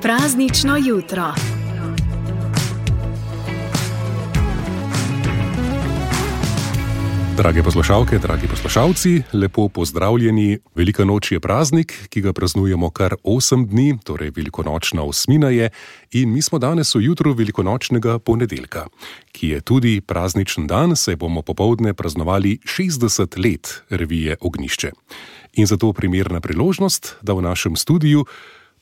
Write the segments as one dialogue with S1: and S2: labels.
S1: Praznično jutro.
S2: Drage poslušalke, dragi poslušalci, lepo pozdravljeni. Velika noč je praznik, ki ga praznujemo kar 8 dni, torej velikonočna osmina je, in mi smo danes v jutru velikonočnega ponedeljka, ki je tudi prazničen dan, saj bomo popoldne praznovali 60 let revije Ognjišče. In zato primerna priložnost, da v našem studiu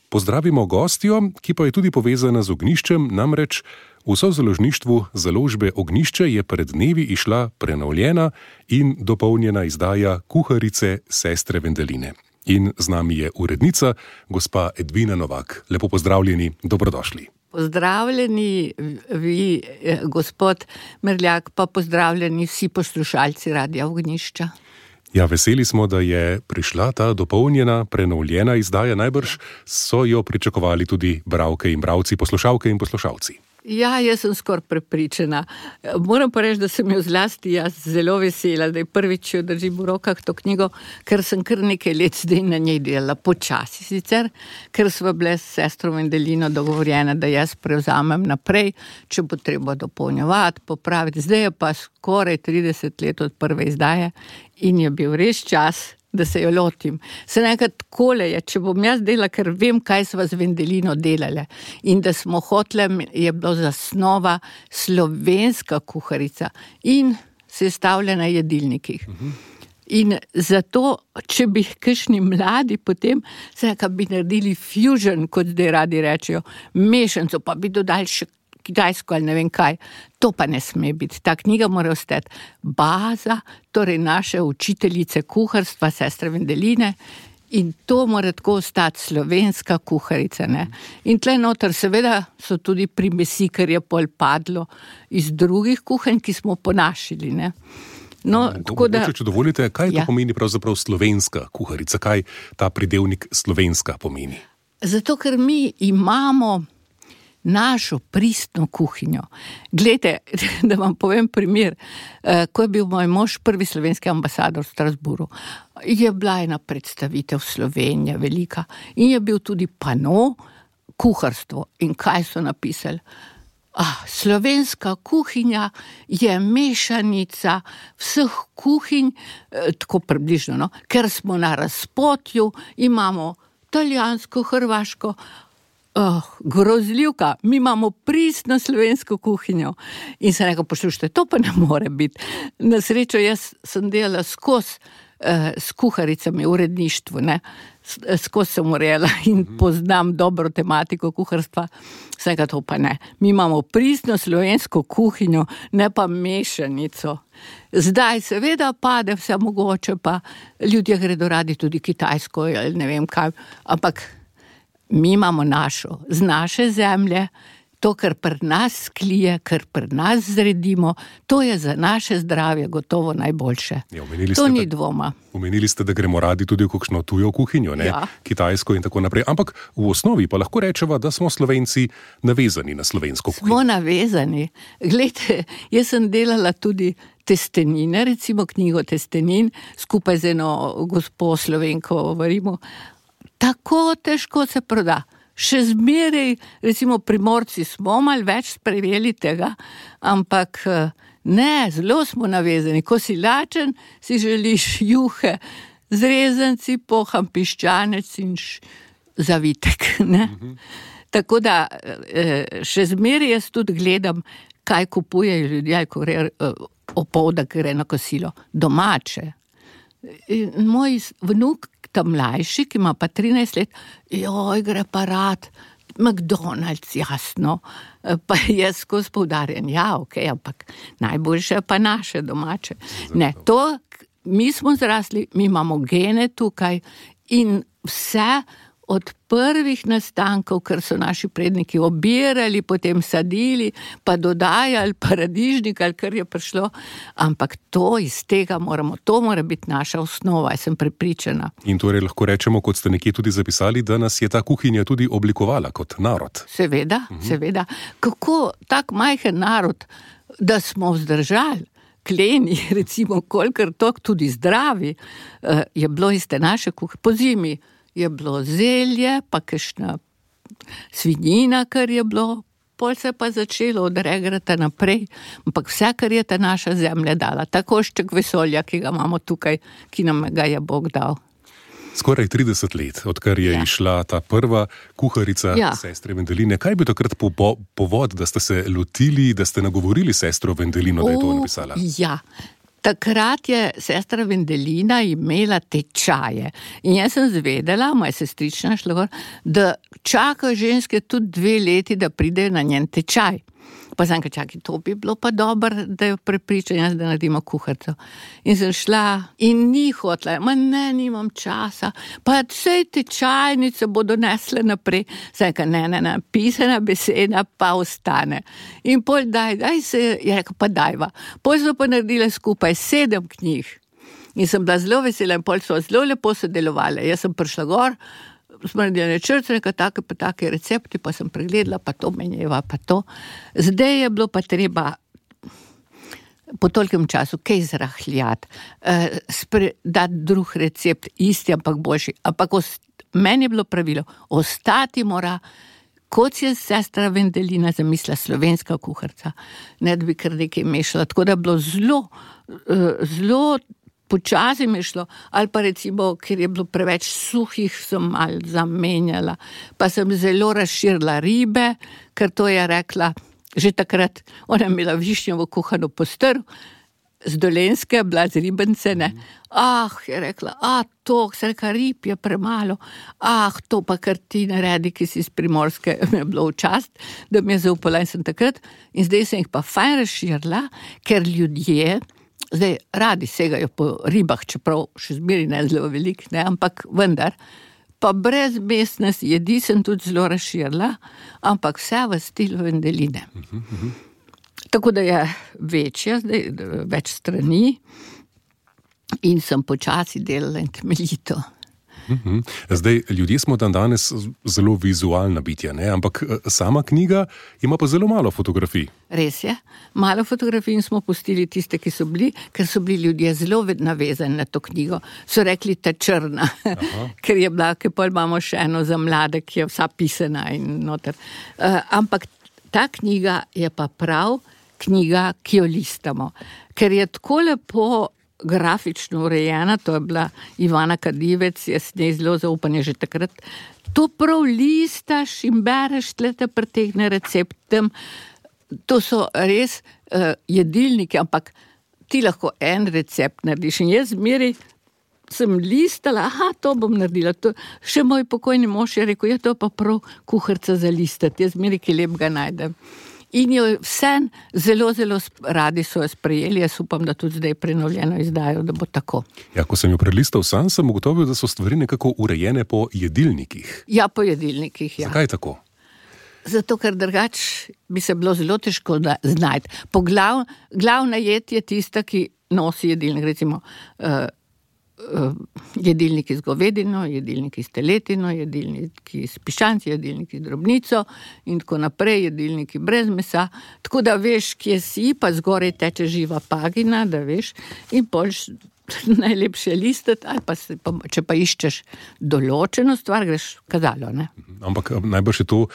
S2: pozdravimo gostjo, ki pa je tudi povezana z Ognjiščem, namreč v sozaložništvu založbe Ognjišče je pred dnevi išla prenovljena in dopolnjena izdaja Kuharice sestre Vendeline. In z nami je urednica, gospa Edvina Novak. Lepo pozdravljeni, dobrodošli.
S3: Pozdravljeni vi, gospod Merljak, pa pozdravljeni vsi poslušalci Radia Ognjišča.
S2: Ja, veseli smo, da je prišla ta dopolnjena, prenovljena izdaja. Najbrž so jo pričakovali tudi bralke in bralci, poslušalke in poslušalci.
S3: Ja, jaz sem skoraj prepričana. Moram pa reči, da sem jo zlasti jaz zelo vesela, da je prvič jo držim v rokah to knjigo, ker sem kar nekaj let zdaj na njej delala, počasi sicer, ker sva bile s sestro Vendelino dogovorjene, da jaz prevzamem naprej, če bo treba dopolnjevati, popraviti. Zdaj je pa skoraj 30 let od prve izdaje in je bil res čas, da se jo lotim. Se nekaj takole je, če bom jaz delala, ker vem, kaj sva z Vendelino delale. In da smo hoteli, je bilo zasnova slovenska kuharica in sestavljena v jedilnikih. In zato, če bi kakšni mladi potem se nekaj bi naredili fusion, kot zdaj radi rečejo, mešanico, pa bi dodali še kitajsko ali ne vem kaj. To pa ne sme biti. Ta knjiga mora ostati baza, torej naše učiteljice kuharstva, sestre Vendeline, in to mora tako ostati slovenska kuharica. Ne? In tle noter seveda so tudi primesi, ker je pol padlo iz drugih kuhanj, ki smo ponašali. Ne? No, tako da,
S2: če dovolite, kaj to pomeni pravzaprav slovenska kuharica? Kaj ta pridevnik slovenska pomeni?
S3: Zato, ker mi imamo našo pristno kuhinjo. Glejte, da vam povem primer, ko je bil moj mož prvi slovenski ambasador v Strasbourgu, je bila ena predstavitev Slovenije velika in je bil tudi pano kuharstvo. In kaj so napisali? Slovenska kuhinja je mešanica vseh kuhinj, tako približno, no? Ker smo na razpotju, imamo italijansko, hrvaško, grozljivka, mi imamo pristno slovensko kuhinjo. In se nekaj poslušajte, to pa ne more biti. Na srečo, jaz sem delala skozi s kuharicami v uredništvu, ne. Skozi sem urejala in poznam dobro tematiko kuharstva. Vsega to pa ne. Mi imamo pristno slovensko kuhinjo, ne pa mešanico. Zdaj seveda pade vse mogoče, pa ljudje gredo radi tudi kitajsko ali ne vem kaj, ampak mi imamo našo, z naše zemlje, to, kar pri nas klije, kar pri nas zredimo, to je za naše zdravje gotovo najboljše.
S2: Ja,
S3: to ni dvoma.
S2: Omenili ste, da gremo radi tudi v kakšno tujo kuhinjo, ne? Ja. Kitajsko in tako naprej. Ampak v osnovi pa lahko rečeva, da smo Slovenci navezani na slovensko kuhinjo.
S3: Smo navezani. Glejte, jaz sem delala tudi testenine, recimo knjigo testenin, skupaj z eno gospo Slovenko v Rimu. Tako težko se proda. Še zmeraj, recimo Primorci smo malo več sprejeli tega, ampak ne, zelo smo navezani. Ko si lačen, si želiš juhe z rezanci, poham piščanec in zavitek. Ne? Tako da še zmeraj jaz tudi gledam, kaj kupujejo ljudje, ko gre opoldan gre na kosilo. Domače. Moj vnuk, ta mlajši, ki ima pa 13 let, gre pa rad, McDonald's, jasno, pa jaz skozi poudarjam, ampak najboljše pa naše domače. Ne, to, mi smo zrasli, mi imamo gene tukaj in vse od prvih nastankov, ker so naši predniki obirali, potem sadili, pa dodajali paradižnik, ali kar je prišlo, ampak to iz tega to mora biti naša osnova, jaz sem prepričana.
S2: In torej lahko rečemo, kot ste nekje tudi zapisali, da nas je ta kuhinja tudi oblikovala kot narod.
S3: Seveda, seveda. Kako tak majhen narod, da smo vzdržali, kleni, recimo, kolikor tok tudi zdravi, je bilo iz te naše kuhe. Po zimi je bilo zelje, pa kakšna svinjina, kar je bilo, pol se pa začelo odregrati naprej, ampak vse, kar je ta naša zemlja dala, ta košček vesolja, ki ga imamo tukaj, ki nam ga je Bog dal.
S2: Skoraj 30 let, odkar je išla ta prva kuharica sestre Vendeline. Kaj bi takrat povod, da ste se lotili, da ste nagovorili sestro Vendelino, da je to napisala?
S3: Ja, takrat je sestra Vendelina imela tečaje. In jaz sem zvedela, moja sestrična šla gor, da čakajo ženske tudi 2 leti, da pridejo na njen tečaj. Pa sem čakaj, to bi bilo pa dobro, da jo prepričam jaz, da naredimo kuharico. In sem šla in ni hotla, nimam časa, pa vse tečajnice bodo nesle naprej. Sem rekel, ne, pisana beseda pa ostane. In pol daj se, je rekel, pa dajva. Pol so pa naredile skupaj 7 knjig. In sem bila zelo vesela in pol so zelo lepo sodelovali. Jaz sem prišla gor, smo naredili načrt, rekel, take recepti, pa sem pregledala, pa to menjeva, pa to. Zdaj je bilo pa treba po tolikem času kaj zrahljati, dati drug recept, isti, ampak boljši. Ampak meni je bilo pravilo, ostati mora, kot je sestra Vendelina zamislila, slovenska kuharica, ne da bi kar nekaj mešala. Tako da je bilo zelo počasi mi šlo, ali pa recimo, ker je bilo preveč suhih, sem malo zamenjala, pa sem zelo razširila ribe, ker to je rekla, že takrat, ona je imela višnjovo kuhano postrv, z Dolenjske, bila z ribence, ne. Je rekla, to, se reka, rib je premalo, to pa kar ti naredi, ki si iz Primorske, mi je bilo v čast, da mi je zaupala in sem takrat, in zdaj sem jih pa fajn razširila, ker ljudje, zdaj radi segajo po ribah, čeprav še zmeri ne zelo velik, ne, ampak vendar, pa brez mesne jedi sem tudi zelo razširila, ampak vse v stilu Vendeline. Tako da je večja, zdaj več strani in sem počasi delala in temeljito.
S2: Zdaj, ljudje smo danes zelo vizualna bitja, ne? Ampak sama knjiga ima pa zelo malo fotografij.
S3: Res je, malo fotografij smo pustili tiste, ki so bili, ker so bili ljudje zelo navezani na to knjigo. So rekli ta črna, ker je bila, ker pol imamo še eno za mlade, ki je vsa pisana in noter. Ampak ta knjiga je pa prav knjiga, ki jo listamo, ker je tako lepo grafično urejena, to je bila Ivana Kadivec, jaz njej zelo zaupanje že takrat. To prav listaš in bereš, tlete pretegne receptem. To so res jedilniki, ampak ti lahko en recept narediš. In jaz zmeri sem listala, to bom naredila. To, še moj pokojni mož je rekel, to pa prav kuharica za listati. Jaz zmeri, ki lepega najdem. In jo vse zelo radi so jo sprejeli, jaz upam, da tudi zdaj prenovljeno izdajo, da bo tako.
S2: Ja, ko sem jo prelistal sam, sem ugotovil, da so stvari nekako urejene po jedilnikih.
S3: Ja, po jedilnikih, ja.
S2: Zakaj tako?
S3: Zato, ker drugač bi se bilo zelo težko znajti. Glavna jed je tista, ki nosi jedilnik, recimo jedilniki z govedino, jedilniki s teletino, jedilniki s piščanci, jedilniki z drobnico in tako naprej, jedilniki brez mesa. Tako da veš, kje si, pa zgoraj teče živa pagina, da veš, in polš najlepše listati, ali pa, če pa iščeš določeno stvar, greš kazalo, ne?
S2: Ampak najbrž je to,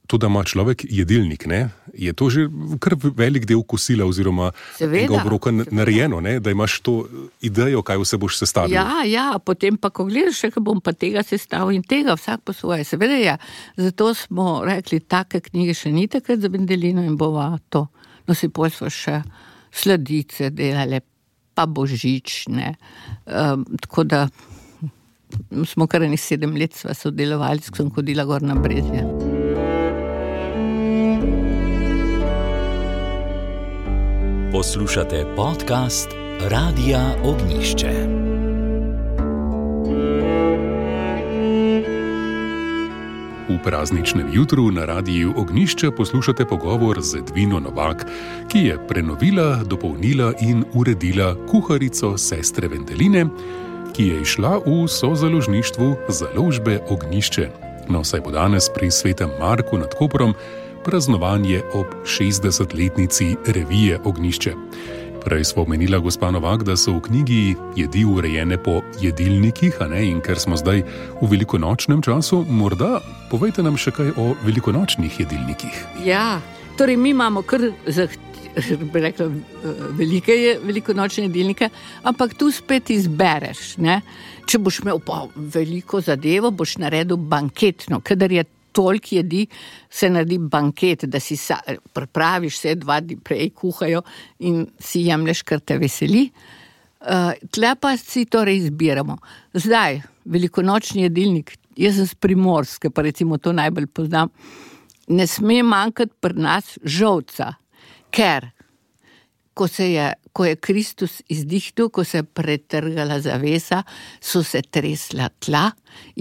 S2: da ima človek jedilnik, ne? Je to že kar velik del kosila oziroma enega obroka narejeno, ne? Da imaš to idejo, kaj vse boš sestavil.
S3: Ja, potem pa, ko gledaš, še bom pa tega sestavil in tega, vsak po svoje. Seveda je, zato smo rekli, take knjige še ni takrat za Vendelino in bova to. No, si pol smo še sladice delali, pa božične. Tako da smo kar 7 let sva sodelovali, ko sem hodila gor na Brezje.
S1: Poslušate podcast Radia Ognjišče.
S2: V prazničnem jutru na Radiju Ognjišče poslušate pogovor z Edvino Novak, ki je prenovila, dopolnila in uredila kuharico sestre Vendeline, ki je išla v sozaložništvu Založbe Ognjišče. No, saj bo danes pri Svetem Marku nad Koprom praznovanje ob 60-letnici revije Ognjišče. Prej smo omenila, gospa Novak, da so v knjigi jedi urejene po jedilnikih, in ker smo zdaj v velikonočnem času, morda povejte nam še kaj o velikonočnih jedilnikih.
S3: Ja, torej mi imamo kar velike velikonočne jedilnike, ampak tu spet izbereš, ne? Če boš imel pa veliko zadevo, boš naredil banketno, kadar je toliko jedi, se naredi banket, da si pripraviš vse 2 dni prej, kuhajo in si jemlješ, kar te veseli. Tle pa si torej izbiramo. Zdaj, velikonočni jedilnik, jaz sem z Primorske, pa recimo to najbolj poznam, ne sme manjkati pri nas žolca, ker ko je Kristus izdihnil, ko se je pretrgala zavesa, so se tresla tla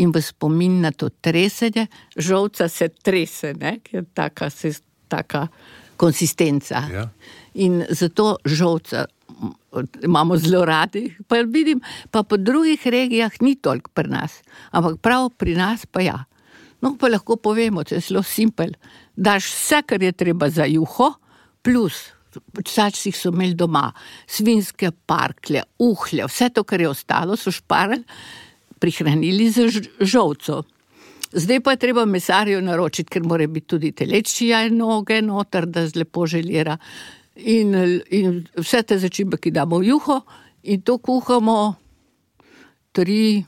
S3: in v spomin na to tresenje, žolca se trese, ne? Ker je taka konsistenca. Ja. In zato žolca imamo zelo radi, pa vidim, pa po drugih regijah ni toliko pri nas, ampak prav pri nas pa ja. No, pa lahko povemo, to je zelo simpel, daš vse, kar je treba za juho, plus včasih so imeli doma svinjske parklje, uhlje, vse to, kar je ostalo, so šparali, prihranili z žolco. Zdaj pa je treba mesarju naročiti, ker mora biti tudi telečja noge noter, da lepo želira. In vse te začimbe, ki damo v juho, in to kuhamo 3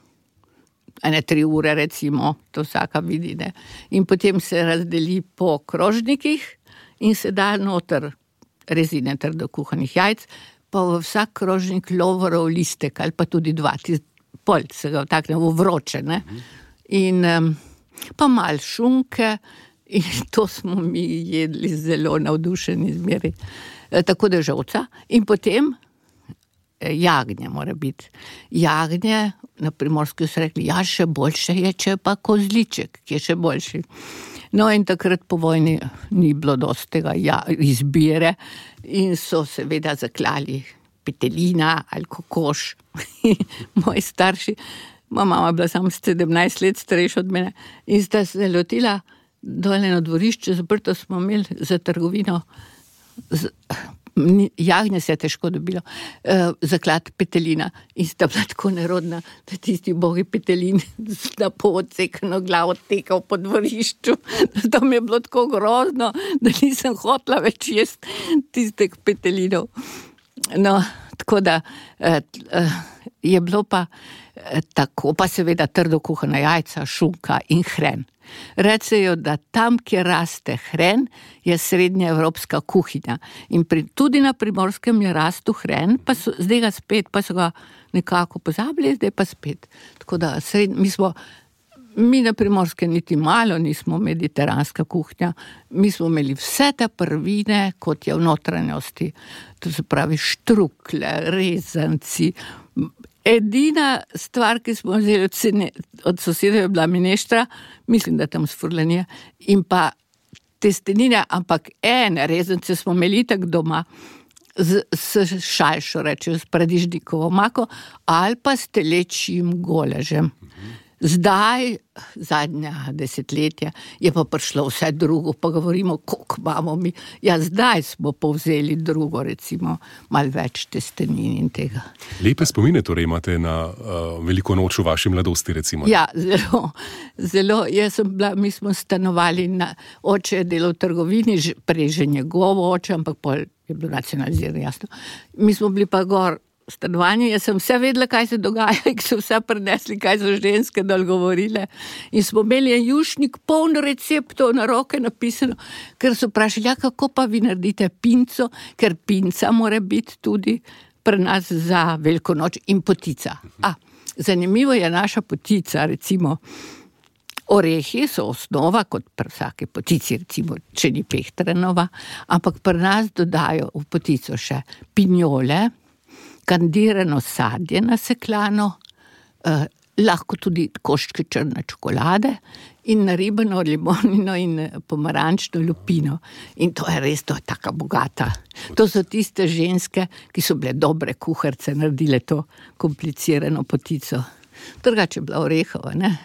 S3: ure recimo, to vsaka vidi, ne. In potem se razdeli po krožnikih in se da noter rezine trdo kuhanih jajc, pa v vsak krožnik lovorov listek ali pa tudi 2, polt se ga vtakne v vroče, ne. In pa malo šunke in to smo mi jedli zelo navdušeni zmeri. Tako da žolca in potem jagnje mora biti. Jagnje, na Primorski so rekli, ja, še boljše je, če pa kozliček, ki je še boljši. No, in takrat po vojni ni bilo dosti tega izbire in so seveda zaklali petelina ali kokoš. Moji starši, moja mama je bila samo 17 let starejša od mene in sta se lotila dole na dvorišče, zaprto smo imeli za trgovino, jagnje se je težko dobilo, zaklad petelina in sta bila tako nerodna, da tisti bogi petelin na pol odsekano glavo tekal po dvorišču. To mi je bilo tako grozno, da nisem hotela več jesti tistih petelinov. No, tako da je bilo pa tako, pa seveda trdo kuhana jajca, šunka in hren. Rečejo, da tam, kjer raste hren, je srednja evropska kuhinja. In tudi na Primorskem je rastu hren, pa zdaj ga spet, pa so ga nekako pozabili, zdaj pa spet. Tako da mi na Primorskem niti malo nismo mediteranska kuhinja, mi smo imeli vse te prvine, kot je v notranjosti. To se pravi štrukle, rezanci. Edina stvar, ki smo vzeli od sosedov, je bila mineštra, mislim, da tam s furlanije, in pa testenine, ampak rezance smo imeli tak doma s šalšo, rečejo, s paradižnikovo omako, ali pa s telečjim goležem. Zdaj, zadnja desetletja, je pa prišlo vse drugo, pa govorimo, koliko imamo mi. Ja, zdaj smo povzeli drugo, recimo, malo več testenin in tega.
S2: Lepe spomine torej imate na veliko noč v vaši mladosti, recimo.
S3: Ja, zelo. Mi smo stanovali, oče je delal v trgovini, prej že njegovo oče, ampak pol je bilo nacionaliziran, jasno. Mi smo bili pa gor stanovanje, jaz sem vse vedela, kaj se dogaja, ki so vse prinesli, kaj so ženske dol govorile. In smo imeli en jušnik, poln receptov na roke napisano, ker so vprašali, kako pa vi naredite pinco, ker pinca mora biti tudi pri nas za veliko noč in potica. Zanimivo je naša potica, recimo, orehi so osnova, kot pri vsake potici, recimo, če ni pehtranova, ampak pri nas dodajo v potico še pinjole, kandirano sadje nasekljano, lahko tudi koščke črne čokolade in naribano limonino in pomarančno lupino. In to je res, to je taka bogata. To so tiste ženske, ki so bile dobre kuharice, naredile to komplicirano potico. Drugače je bila orehova, ne?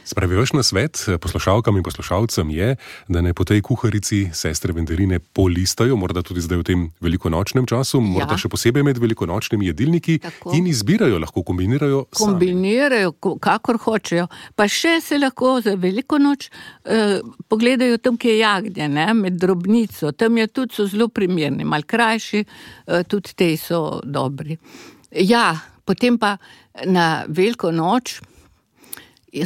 S2: Spravi, vaš nasvet poslušalkam in poslušalcem je, da ne po tej kuharici sestre Vendeline polistajo, morda tudi zdaj v tem velikonočnem času, morda še posebej med velikonočnimi jedilniki in izbirajo, lahko kombinirajo sami.
S3: Kombinirajo, kakor hočejo. Pa še se lahko za veliko noč pogledajo tam, kje je jagnje, ne, med drobnico. Tam je tudi so zelo primerni, malo krajši, tudi te so dobri. Ja, potem pa na veliko noč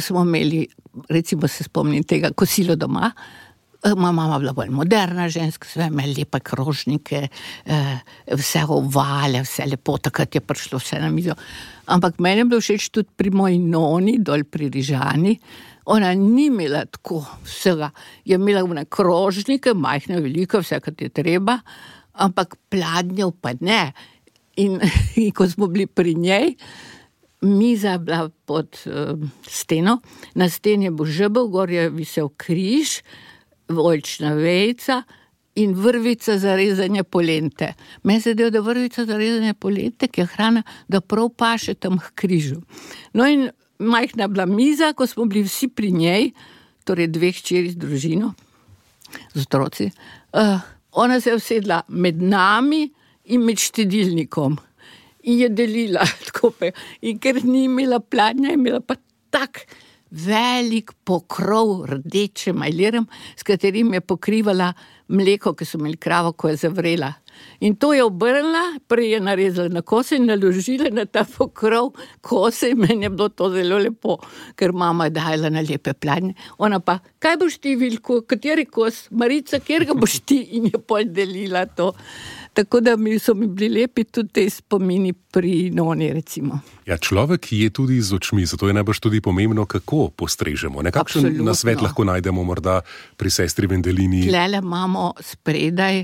S3: smo imeli, recimo se spomnim tega, kosilo doma. Moja mama bila bolj moderna ženska, sve imeli lepe krožnike, vse ovale, vse lepo, takrat je prišlo vse na mizo. Ampak meni je bilo všeč tudi pri moji noni, dol pri Rižani. Ona ni imela tako vsega. Je imela one krožnike, majhne, velike, vse, kar je treba, ampak pladnjev pa ne. In ko smo bili pri njej, miza je bila pod steno, na steni je bil žebel, gor je visel križ, oljčna vejica in vrvica za rezanje polente. Meni se zdi, da vrvica za rezanje polente, ki je hrana, da prav paše tam k križu. No in majhna je bila miza, ko smo bili vsi pri njej, torej 2 hčeri z družino, z otroci. Ona se je usedla med nami in med štedilnikom. In je delila tako. In ker ni imela pladnja, je imela pa tak velik pokrov rdeče majlerem, s katerim je pokrivala mleko, ki so imeli kravo, ko je zavrela. In to je obrnila, prej je narezala na kose in naložila na ta pokrov kose in meni je bilo to zelo lepo, ker mama je dajala na lepe pladnje. Ona pa, kaj boš ti, Vilko, kateri kos? Marica, kjer ga boš ti? In je pol delila to. Tako da so mi bili lepi tudi te spomini pri noni, recimo.
S2: Ja, človek je tudi z očmi, zato je najbrž tudi pomembno, kako postrežemo. Nekakšen nasvet lahko najdemo morda pri sestri Vendelini.
S3: Tlele imamo spredaj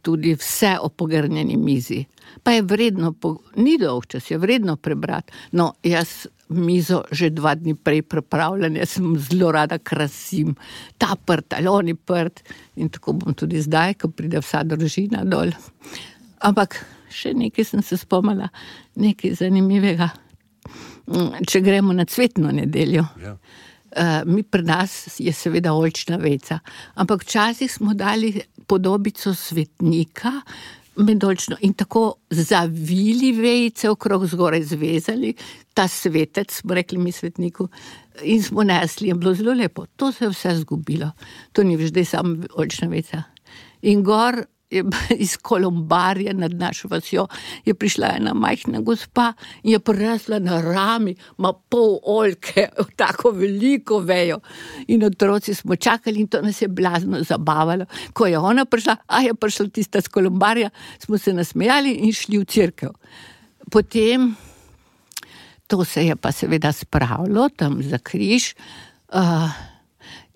S3: tudi vse o pogrnjeni mizi. Pa je vredno, ni dolgčas, je vredno prebrati. No, jaz mizo že 2 dni prej pripravljam, jaz sem zelo rada krasim. Ta prt ali oni prt in tako bom tudi zdaj, ko pride vsa družina dol. Ampak še nekaj sem se spomnila, nekaj zanimivega. Če gremo na cvetno nedeljo, mi pri nas je seveda oljčna vejica, ampak včasih smo dali podobico svetnika med oljčno in tako zavili vejice okrog, zgoraj zvezali, ta svetec, smo rekli mi svetniku, in smo nesli, je bilo zelo lepo. To se je vse zgubilo. To ni več, da je samo oljčna vejica. In gor je iz Kolombarja nad našo vasjo je prišla ena majhna gospa in je prinesla na rami, ima pol oljke, tako veliko vejo. In otroci smo čakali in to nas je blazno zabavalo. Ko je ona prišla, je prišla tista z Kolombarja, smo se nasmejali in šli v cerkev. Potem, to se je pa seveda spravilo tam za križ,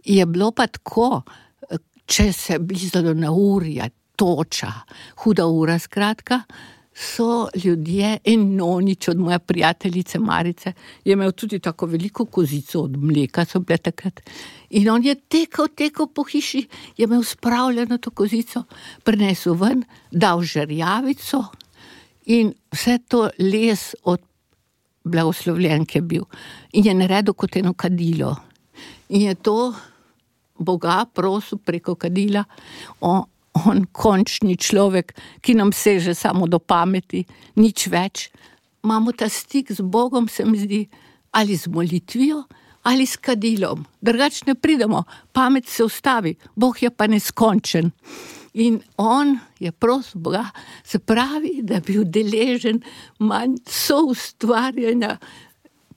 S3: je bilo pa tako, če se blizalo na urja, toča, huda ura skratka, so ljudje in nonič od moje prijateljice Marice, je imel tudi tako veliko kozico od mleka, so bile takrat. In on je tekel po hiši, je imel spravljeno to kozico, prinesel ven, dal žerjavico in vse to les od blagoslovljenke bil. In je naredil kot eno kadilo. In je to Boga prosil preko kadila, on končni človek, ki nam seže samo do pameti, nič več. Imamo ta stik z Bogom, se mi zdi, ali z molitvijo, ali s kadilom. Drugače ne pridemo, pamet se ustavi, Bog je pa neskončen. In on je prosil Boga, se pravi, da bi bil deležen manj soustvarjanja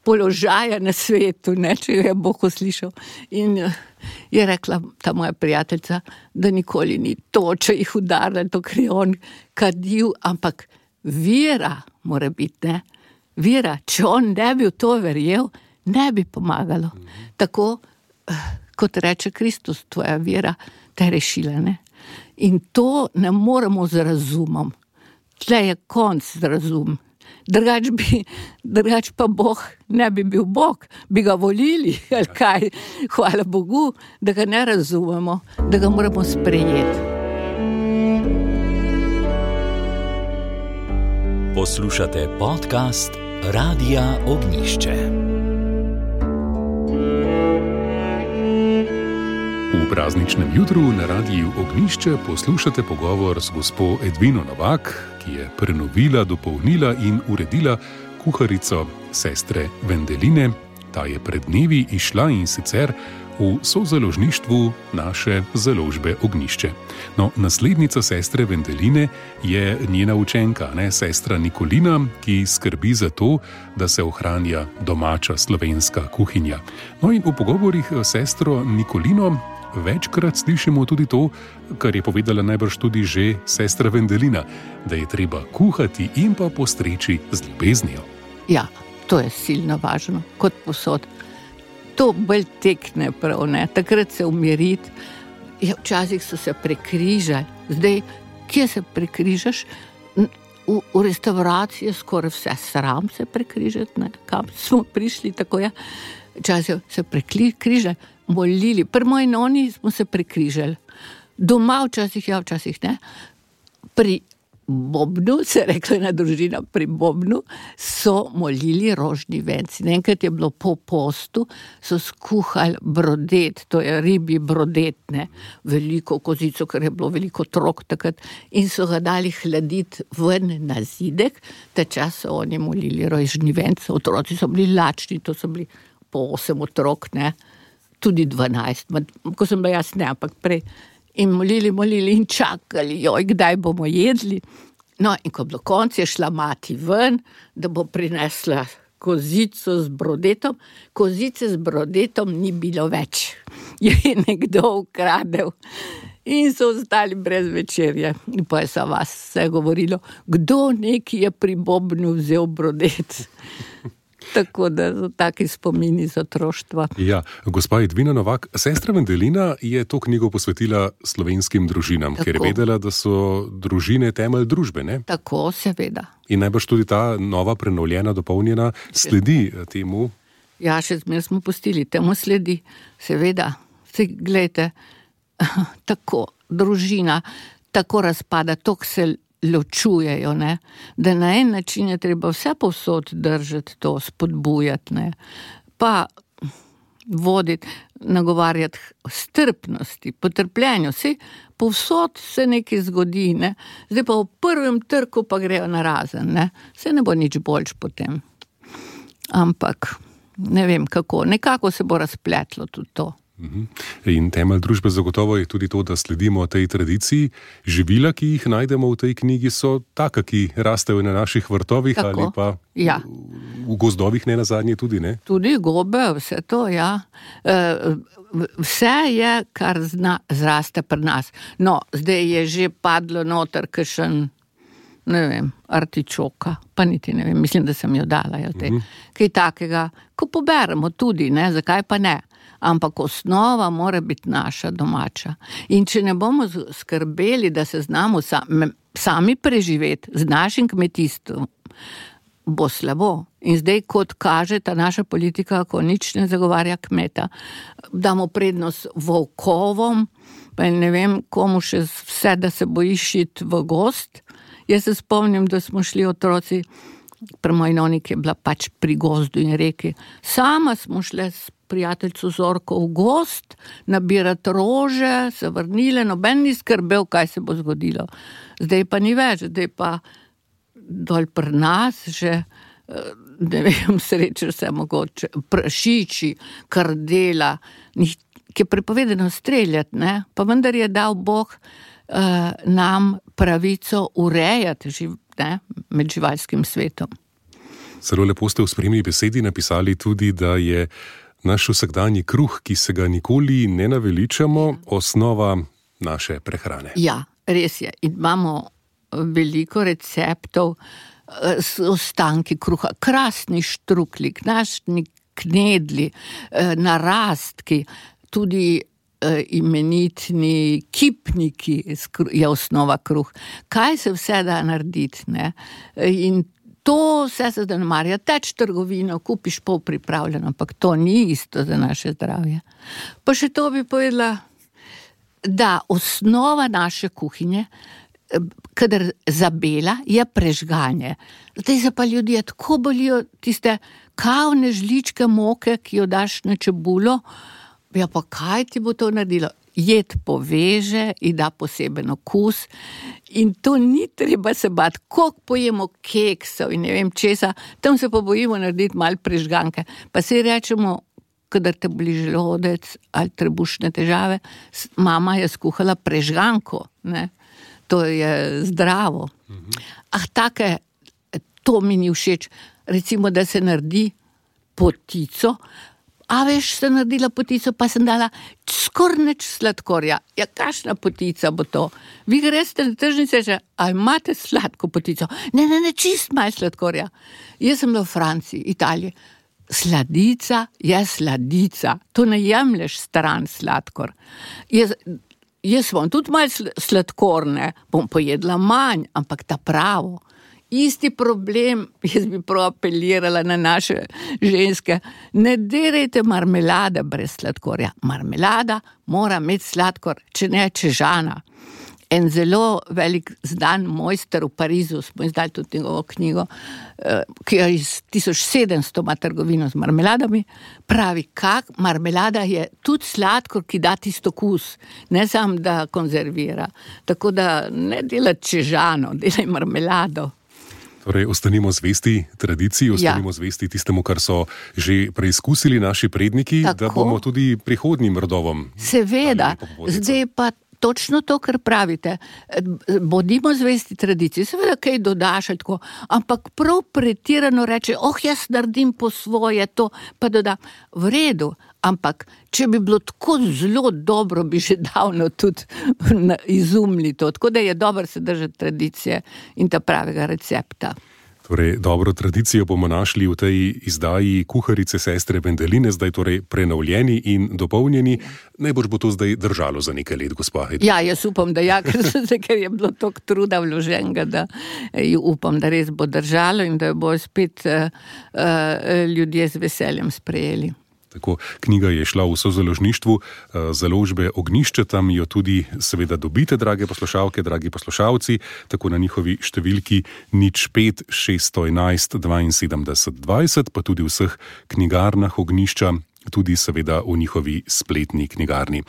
S3: položaja na svetu, ne, če je Bog uslišal. In je rekla ta moja prijateljica, da nikoli ni toča jih udarila, to, ker je on kadil, ampak vera mora biti, ne. Vera, če on ne bi v to verjel, ne bi pomagalo. Tako, kot reče Kristus, tvoja vera te je rešila, ne. In to ne moremo z razumom. Tle je konc z razum. Drugač pa Bog ne bi bil Bog, bi ga volili, ali kaj. Hvala Bogu, da ga ne razumemo, da ga moramo sprejeti.
S1: Poslušate podcast Radia Ognjišče.
S2: V prazničnem jutru na Radiu Ognjišče poslušate pogovor z gospo Edvino Novak, ki je prenovila, dopolnila in uredila kuharico sestre Vendeline. Ta je pred dnevi išla in sicer v sozaložništvu naše založbe Ognjišče. No, naslednica sestre Vendeline je njena učenka, sestra Nikolina, ki skrbi za to, da se ohranja domača slovenska kuhinja. No in v pogovorih s sestro Nikolino večkrat slišimo tudi to, kar je povedala najbrž tudi že sestra Vendelina, da je treba kuhati in pa postreči z ljubeznijo.
S3: Ja, to je silno važno, kot posod. To bolj tekne prav, takrat se umiriti. Ja, včasih so se prekrižali, zdaj, kje se prekrižaš? V restavraciji je skoraj vse sram se prekrižati, kam smo prišli, tako je. Včasih se prekrižali, molili, pri moji noni smo se prekrižali. Doma včasih ja, včasih ne. Pri bobnu, se je rekla ena družina, pri bobnu so molili rožni venci. Enkrat je bilo po postu, so skuhali brodet, to je ribji brodet, veliko kozico, ker je bilo veliko otrok takrat, in so ga dali hladiti ven na zidek, ta čas so oni molili rožni venci, otroci so bili lačni, to so bili po 8 otrok, tudi 12, ko sem bila jaz, ampak prej. In molili in čakali, kdaj bomo jedli. No, in ko bilo konc, je šla mati ven, da bo prinesla kozico z brodetom. Kozice z brodetom ni bilo več. Je nekdo ukradel. In so ostali brez večerje. In pa je sa vas vse govorilo, kdo neki je pri bobnu vzel brodet. Tako da so taki spomini z otroštva.
S2: Ja, gospa Edvina Novak, sestra Vendelina je to knjigo posvetila slovenskim družinam, tako, ker je vedela, da so družine temelj družbe, ne?
S3: Tako, seveda.
S2: In najbrž tudi ta nova, prenovljena, dopolnjena sledi temu?
S3: Ja, še zmer smo pustili, temu sledi, seveda. Glejte, tako družina, tako razpada, tok se ločujejo, da na en način je treba vse povsod držati to, spodbujati, pa voditi, nagovarjati strpnosti, potrpljenju. Vse povsod se nekaj zgodi, Zdaj pa v prvem trku pa grejo narazen, Vse ne bo nič boljš potem. Ampak ne vem kako, nekako se bo razpletlo tudi to.
S2: In temelj družbe zagotovo je tudi to, da sledimo tej tradiciji. Živila, ki jih najdemo v tej knjigi, so taka, ki rastejo na naših vrtovih. Tako, ali pa v gozdovih nenazadnje tudi, ne? Tudi gobe, vse to, ja. Vse je, kar zraste pri nas. No, zdaj je že padlo noter kakšen, ne vem, artičoka, pa niti ne vem, mislim, da sem jo dala, kaj takega, ko poberemo tudi, zakaj pa ne? Ampak osnova mora biti naša domača. In če ne bomo skrbeli, da se znamo sami preživeti z našim kmetijstvom, bo slabo. In zdaj, kot kaže ta naša politika, ko nič ne zagovarja kmeta, damo prednost volkovom, pa ne vem, komu še vse, da se bojiš iti v gost. Jaz se spomnim, da smo šli otroci, pri moji noni, ki je bila pač pri gozdu in reki, sama smo šli s prijateljcu Zorko v gost, nabirati rože, se vrnile, noben ni skrbel, kaj se bo zgodilo. Zdaj pa ni več, zdaj pa dol pri nas že, ne vem, srečer se mogoče, prašiči, kardela, ki je prepovedano streljati, pa vendar je dal Bog nam pravico urejati med živalskim svetom. Zelo lepo ste v spremni besedi napisali tudi, da je naš vsakdanji kruh, ki se ga nikoli ne naveličamo, osnova naše prehrane.
S3: Ja, res je. In imamo veliko receptov s ostanki kruha. Krasni štrukli, knašni knedli, narastki, tudi imenitni kipniki je osnova kruh. Kaj se vse da narediti, In to vse se zanemarja. Teč trgovino, kupiš pol pripravljeno, ampak to ni isto za naše zdravje. Pa še to bi povedala, da osnova naše kuhinje, kadar zabela, je prežganje. Zdaj se pa ljudje tako bolijo tiste kavne žličke moke, ki jo daš na čebulo, ja pa kaj ti bo to naredilo? jed poveže in da poseben okus. In to ni treba se bati, koliko pojemo keksov in ne vem česa, tam se pa bojimo narediti malo prežganke. Pa si rečemo, kadar te boli želodec ali trebušne težave, mama je skuhala prežganko, ne? To je zdravo. Take, to mi ni všeč. Recimo, da se naredi potico, a veš, sem naredila potico, pa sem dala skoraj nič sladkorja. Ja, kakšna potica bo to? Vi greste na tržnice, že, a imate sladko potico? Ne, čist malo sladkorja. Jaz sem bila v Franciji, Italiji. Sladica je sladica. To ne jemlješ stran sladkor. Jaz bom tudi malo sladkorne, bom pojedla manj, ampak ta pravo. Isti problem, jaz bi prav apelirala na naše ženske, ne derajte marmelade brez sladkorja. Marmelada mora imeti sladkor, če ne čežana. En zelo velik znan mojster v Parizu, smo izdali tudi njegovo knjigo, ki je iz 1700 ima trgovino z marmeladami, pravi, marmelada je tudi sladkor, ki da tisto okus, ne samo da konzervira. Tako da ne delati čežano, delaj marmelado.
S2: Torej, ostanimo zvesti tradiciji, ostanimo zvesti tistemu, kar so že preizkusili naši predniki, tako, da bomo tudi prihodnjim rodovom.
S3: Seveda, zdaj pa točno to, kar pravite. Bodimo zvesti tradiciji, seveda kaj dodaš, tako, ampak prav pretirano reče, jaz naredim po svoje to, pa dodam. V redu, ampak če bi bilo tako zelo dobro, bi že davno tudi izumili to. Tako da je dobro se držati tradicije in ta pravega recepta.
S2: Torej, dobro tradicijo bomo našli v tej izdaji Kuharice sestre Vendeline, zdaj torej prenovljeni in dopolnjeni. Najbrž bo to zdaj držalo za nekaj let, gospa Hedvig.
S3: Ja, jaz upam, da ker je bilo toliko truda vloženega, da upam, da res bo držalo in da jo bo spet ljudje z veseljem sprejeli.
S2: Tako, knjiga je šla v sozaložništvu založbe Ognjišče, tam jo tudi seveda dobite, drage poslušalke, dragi poslušalci, tako na njihovi številki 05 611 72 20, pa tudi v vseh knjigarnah Ognjišča, tudi seveda v njihovi spletni knjigarni.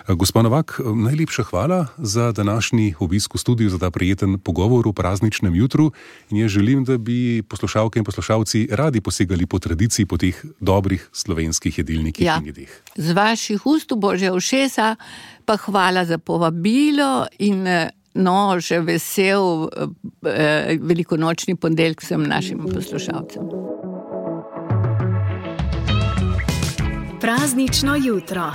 S2: Gospa Novak, najlepša hvala za današnji obisk v studiu, za ta prijeten pogovor v prazničnem jutru in jaz želim, da bi poslušalke in poslušalci radi posegali po tradiciji, po teh dobrih slovenskih jedilnikih in jedeh.
S3: Z vaših ust v Božja ušesa, pa hvala za povabilo in še vesel velikonočni ponedeljek vsem našim poslušalcem.
S4: Praznično jutro.